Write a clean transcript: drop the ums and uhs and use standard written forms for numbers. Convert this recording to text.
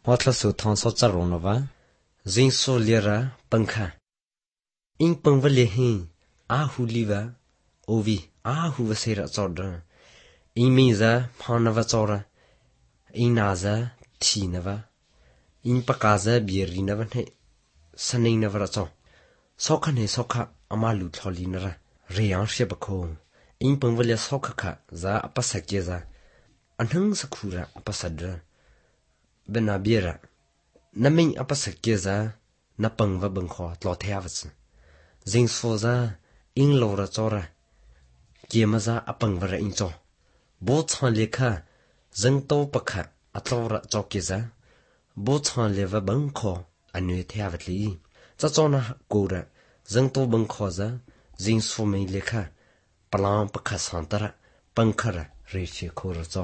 What la su thong so charonova zin so lera pankha in pangvale hi a hu liva ovi a hu vasera chodra in miza phanava chora in naza thinava in pakaza bierinava ne saninava cho sokha ne sokha amalu thlolinara reyang shebakho in pangvale sokha za apasakeza anhang sakhura apasadra benabiera naming apasakeza napangva bangkho tlothyavats zingsoza in lora chora kiemaza apangvara incho bochhan lekha zangto pakha atlora chokeza bochhan leva bangkho anu thyavatli chachona kora zangto bangkho za zingso me lekha palam pakha santara pangkhara reche khora cho